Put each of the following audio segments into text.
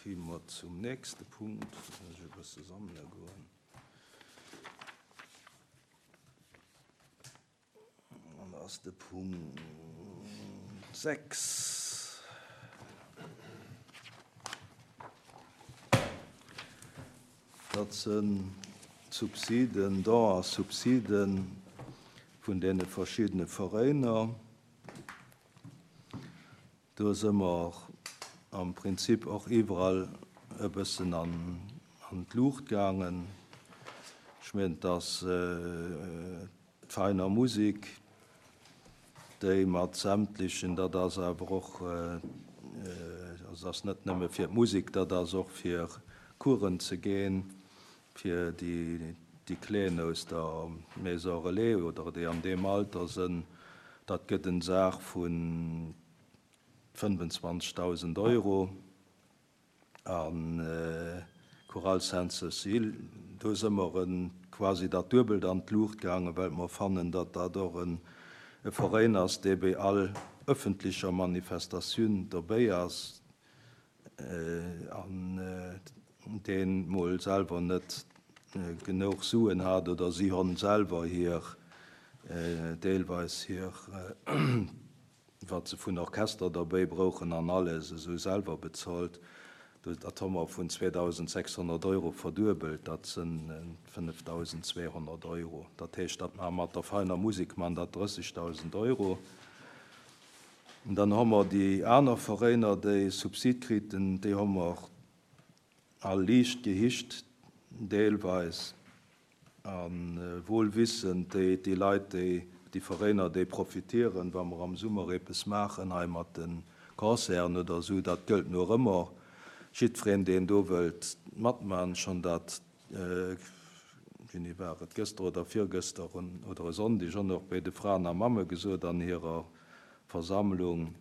Kréie mer zum nächste Punkt. Muss ech e bësse sammele goen. An dat ass de Punkt 6. Dat sinn d'Subsiden, Don a Subsiden vun deene verschiddene Veräiner. Do si mer am Prinzip och iwwerall e bëssen an d'Luucht gaangen. Ech mengen, et ass d'Veiner Musik, déi mat sämtlechen, dat ass awer och, also ass net nëmme fir d'Musik, dat ass och fir Coursen ze ginn, fir déi Kleen aus der Maison Relais oder déi an deem Alter sënn, dat gëtt en Saach vu 25.000 Euro. A Chorale Sainte-Cécile, do së mer quasi dat Duebelt an d'Luucht gaangen, well mer fannen, datt dat och e Veräin ass, dee béi all ëffentlecher Manifestatioun dobéi ass. An deen mol selwer net genouch Suen hat oder si honn selwer hir deelweis hir wat se vun Orchester derbéi brouchen an alles esou selwer bezolt. Dat ho mer vun 2.600 Euro verduebelt, dat sënn 5.200 Euro. Dat heescht, dat mar mat der feiner Musik man dat 30.000 Euro. Dann hu mer déi aner Veräiner, déi Subsid kriten, déi hu mer all liicht gehicht, deelweis, a wuel wissend, déi déi Leit, déi, déi Veräiner, déi profitieren, wa mer am Summer eppes maachen hei mat de Concerten oder esou, dat gëllt no ëmmer. Jiddwereen, deen do wëllt matman, schonn dat, wéini war et, gëster oder virgëster oder e Sonndeg, och nach bei de Fraen a Mamme gesot an hirer Versammlung,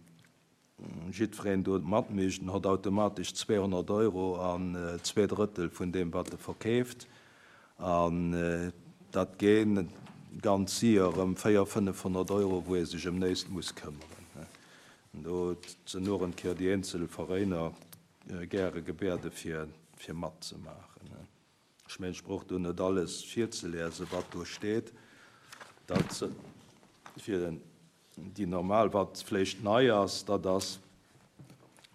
jiddwereen do matmécht, en hott automatesch 200 Euro an zweedrëttel vun deem, wat e verkeeft. An dat ginn ganz sier erëm 400, 500 Euro, wou ee sech ëm néist muss këmmeren. Do sinn och en Kéier déi eenzel Veräiner gäre gebäerde fir matzemaachen. Ech mengen, ech brauch do net alles virzeliesen, wat do steet. Dat fir déi normal, wat vléicht nei ass, dat ass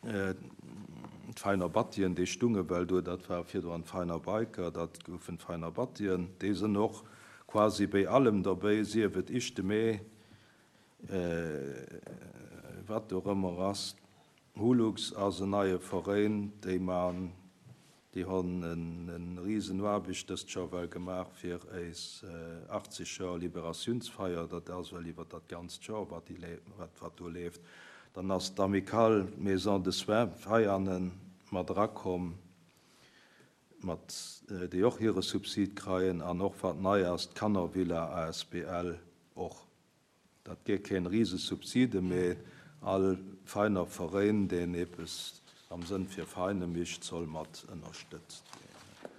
d'Veiner Battien, déi stunge well do, dat war virdrun d'Veiner Biker, dat goufen d'Veiner Battien. Déi sinn och quasi béi allem derbéi, sief et Ichte Mee, wat och ëmmer ass. Hulux ass en neie Veréin, déi man, déi hon en riesen Aarbecht dëst Joer well gemaach fir éis 80 Joer Liberatiounsfeier, dat ass well iwwer dat ganzt Joer wat déi wat wat do leeft. Dann ass d'Amicale Maison de Soins Veianen mat erakomm, mat déi och hire Subsid kreien an och wat nei ass, d'Kannervilla asbl och. Dat wier keen Risesubside, mee all feiner Veréin, deen eepes am Sënn fir Vereine micht, soll mat ënnerstëtzt ginn.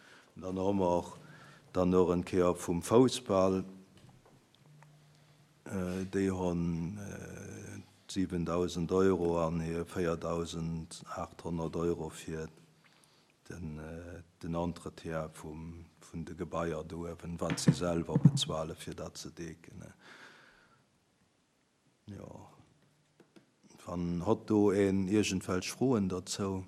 Dann hu mer dann och en Kéier vum Foussball, déi hunn 7.000 Euro an hir 4.800 Euro fir den Entretien vun de Gebaier do uewen, wat si selwer bezuelen, fir dat ze decken. Jo, wann hott do een iergendwelch Froen dozou?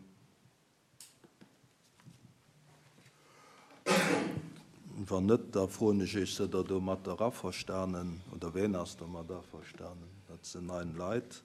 Wann net, da froen ech Iech, Sidd Der domatter averstanen oder ween ass domat averstanen? Dat sinn nein Leit.